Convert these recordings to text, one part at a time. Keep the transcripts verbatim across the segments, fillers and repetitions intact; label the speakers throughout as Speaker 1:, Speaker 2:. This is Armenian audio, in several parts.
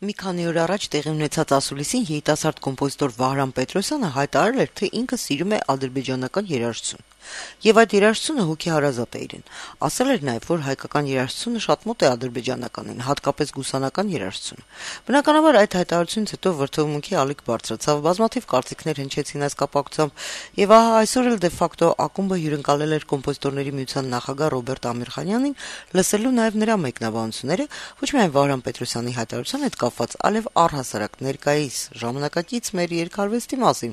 Speaker 1: Մի քանի օր առաջ տեղի ունեցած ասուլիսին երիտասարդ կոմպոզիտոր Վահրամ Պետրոսյանը հայտարարել էր, թե ինքը սիրում է ադրբեջանական երաժշտություն, եւ այդ երաժշտությունը հոգեհարազատ է իրեն։ Ասել էր նաեւ, որ հայկական երաժշտությունը շատ մոտ է ադրբեջանականին, հատկապես գուսանական երաժշտությունը։ Բնականաբար այդ հայտարարությունից հետո վրդովմունքի ալիք բարձրացավ, բազմաթիվ կարծիքներ հնչեցին այս կապակցությամբ, եւ ահա այսօր էլ դե ֆակտո ակումբը հյուրընկալել էր կոմպոզիտորների միության նախագահ Ռոբերտ Ամիրխանյանին, լսելու նաեւ նրա մեկնաբանությունները, ոչ միայն Վահրամ Պետրոսյանի հայտարարության հետ կապված, այլև առհասարակ ներկայիս ժամանակակից մեր երկարվեստի մասին,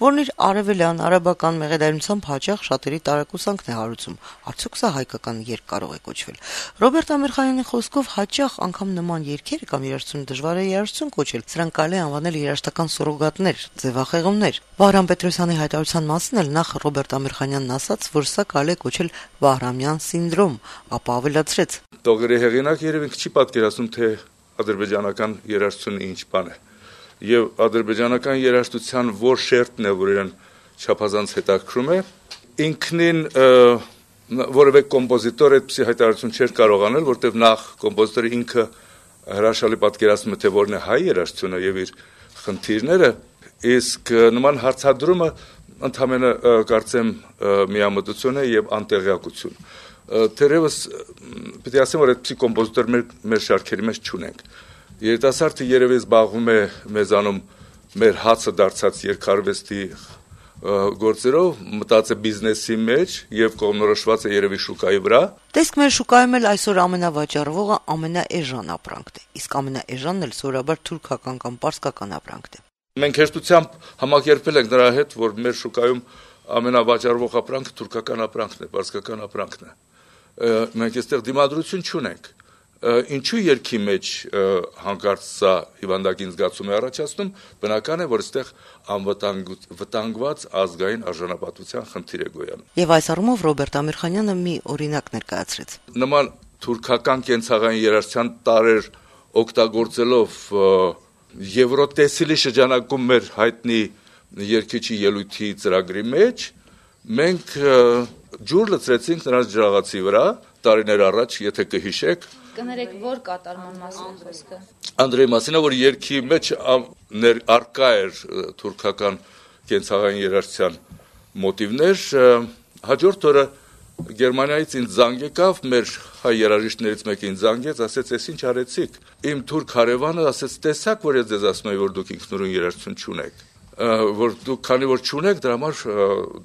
Speaker 1: որն իր արևելյան արաբական մեղեդայնությամբ հաճախ շատերի տարակուսանքն է հարուցում։ Արդյոք սա հայկական երգ կարող է կոչվել։ Ռոբերտ Ամիրխանյանի խոսքով հաճախ անգամ նման երգերը կամ երաժշտությունը դժվար է երաժշտություն կոչել, սրանք կարելի է անվանել երաժշտական սուրոգատներ, ձևախեղումներ։ Վահրամ Պետրոսյանի հայտարարության մասին էլ նախ Ռոբերտ Ամիրխանյանն ասաց, որ սա կարելի է կոչել Վահրամյան սինդրոմ, ապա ավելացրեց.
Speaker 2: Տողերի հեղինակ երևի չի պատկերացնում, թե ադրբեջանական երաժշտությունը ինչ բան է, եւ ադրբեջանական երաժշտության որ շերտն է, որ իրեն չափազանց հետաքրում է, ինքնին որևէ կոմպոզիտոր այդպիսի հայտարարություն չէր կարող անել, որտեղ նախ կոմպոզիտորը ինքը հրաշալի պատկերացնում է, թե որն է հայ երաժշտությունը եւ իր խնդիրները, իսկ նման հարցադրումը ընդհանրապես կարծեմ միամտություն է եւ անտեղյակություն։ Թերևս պիտի ասեմ, որ այդպիսի կոմպոզիտոր մեր, մեր շարքերի մեջ չունենք։ Երիտասարդը երևի զբաղվում է մեզանում մեր հացը դարձած երկարվեստի գործերով, մտած է բիզնեսի մեջ եւ կողմնորոշված է երևի շուկայի վրա։
Speaker 1: Տեսք մեր շուկայում էլ այսօր ամենավաճառվողը ամենաէժան ապրանքն է, իսկ ամենաէժանն էլ սովորաբար թուրքական կամ պարսկական ապրանքն է։
Speaker 2: Մենք հեշտությամբ համակերպել ենք նրա հետ, որ մեր շուկայում ամենավաճառվող ապրանքը թուրքական ապրանքն է, պարսկական ապրանքն է։ Մենք այստեղ դիմադրություն չունենք։ Ինչու երկի մեջ հանկարծ սա հիվանդագին զգացում է առաջացնում, բնական է, որ այստեղ անվտանգված ազգային արժանապատվության խնդիր է գոյանում։
Speaker 1: Եվ այս առումով Ռոբերտ Ամիրխանյանը մի օրինակ ներկայացրեց։
Speaker 2: Նման թուրքական կենցաղային երաժշտության տարեր օգտագործելով Եվրոտեսիլի շրջանակում մեր հայտնի երգիչի ելույթի ծրագրի մեջ մենք ջուր լցրեցինք նրանց ջրաղացի վրա տարիներ առաջ, եթե կհիշեք։
Speaker 3: Կներեք, որ կատարման մասին խոսքը։
Speaker 2: Անդրեի մասին, որ երգի մեջ արկա էր թուրքական կենցաղային երաժշտության մոտիվներ, հաջորդ օրը Գերմանիայից ինձ զանգ եկավ, մեր հայ երաժիշտներից մեկը ինձ զանգեց, ասեց, «Էս ինչ արեցիք»։ Իմ թուրք հարևանը ասեց, «Տեսակ, որ ես ձեզ ասում եմ, որ դուք ինքնուրույն երաժշտություն չունեք, որ դուք քանի որ չունեք, դրա համար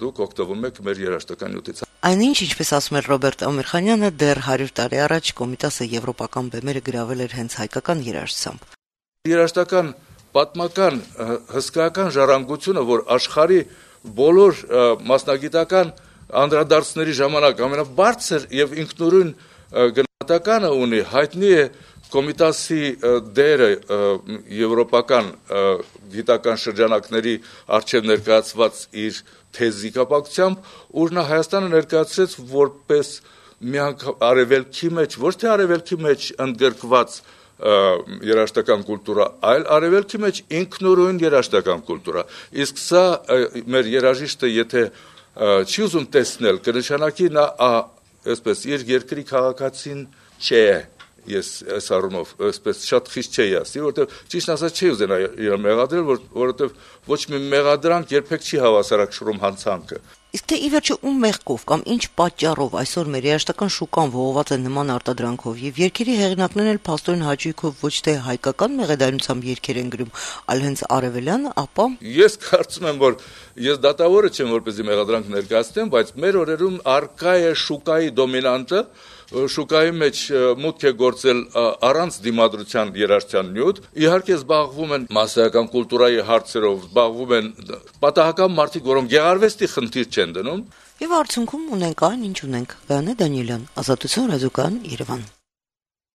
Speaker 2: դուք օգտվում եք մեր երաժշտական նյութից»։
Speaker 1: Այնինչ, ինչպես ասում էր Ռոբերտ Ամիրխանյանը, դեռ հարյուր տարի առաջ Կոմիտասը եվրոպական բեմերը գրավել էր հենց հայկական երաժշտությամբ։
Speaker 2: Երաժշտական պատմական հսկայական ժառանգությունը, որ աշխարհի բոլոր մասնագիտական անդրադարձների ժամանակ ամենաբարձր եւ ինքնուրույն գնահատականը ունի, հայտնի է Կոմիտասի դերը եվրոպական գիտական շրջանակների առջև ներկայացված իր թեզի կապակցությամբ, ուր նա Հայաստանը ներկայացրեց որպես միանգամայն արևելքի մեջ, ոչ թե արևելքի մեջ ընդգրկված երաժշտական կուլտուրա, այլ արևելքի մեջ ինքնուրույն երաժշտական կուլտուրա։ Իսկ սա մեր երաժիշտը, եթե չի ուզում տեսնել, կնշանակի նա այսպես իր երկրի քաղաքացին չէ, ես այս առումով այսպես շատ խիստ չէի ասի, որովհետև ճիշտ ասած չի ուզենա իրեն մեղադրել, որովհետև ոչ մի մեղադրանք երբեք չի հավասարակշռում հանցանքը։
Speaker 1: Իսկ թե ի վերջո ում մեղքով կամ ինչ պատճառով այսօր մեր երաժշտական շուկան ողողված է նման արտադրանքով եւ երգերի հեղինակներն էլ փաստորեն հաճույքով ոչ թե հայկական մեղեդայնությամբ երգեր են գրում, այլ հենց արևելյան, ապա
Speaker 2: ես կարծում եմ, որ ես դատավորը չեմ, որպեսզի մեղադրանք ներկայացնեմ, բայց մեր օրերում արկա է շուկայի դոմինանտը, շուկայի մեջ մուտք է գործել առանց դիմադրության երաժշտության նյութ, իհարկե զբաղվում են մասսայական կուլտուրայի հարցերով, զբաղվում են պատահական մարդիկ, որոնք գեղարվեստի խնդիր չեն դնում։
Speaker 1: Եվ արդյունքում ունենք այն, ինչ ունենք։ Գայանե Դանիելյան, Ազատություն ռադիոկայան, Երևան։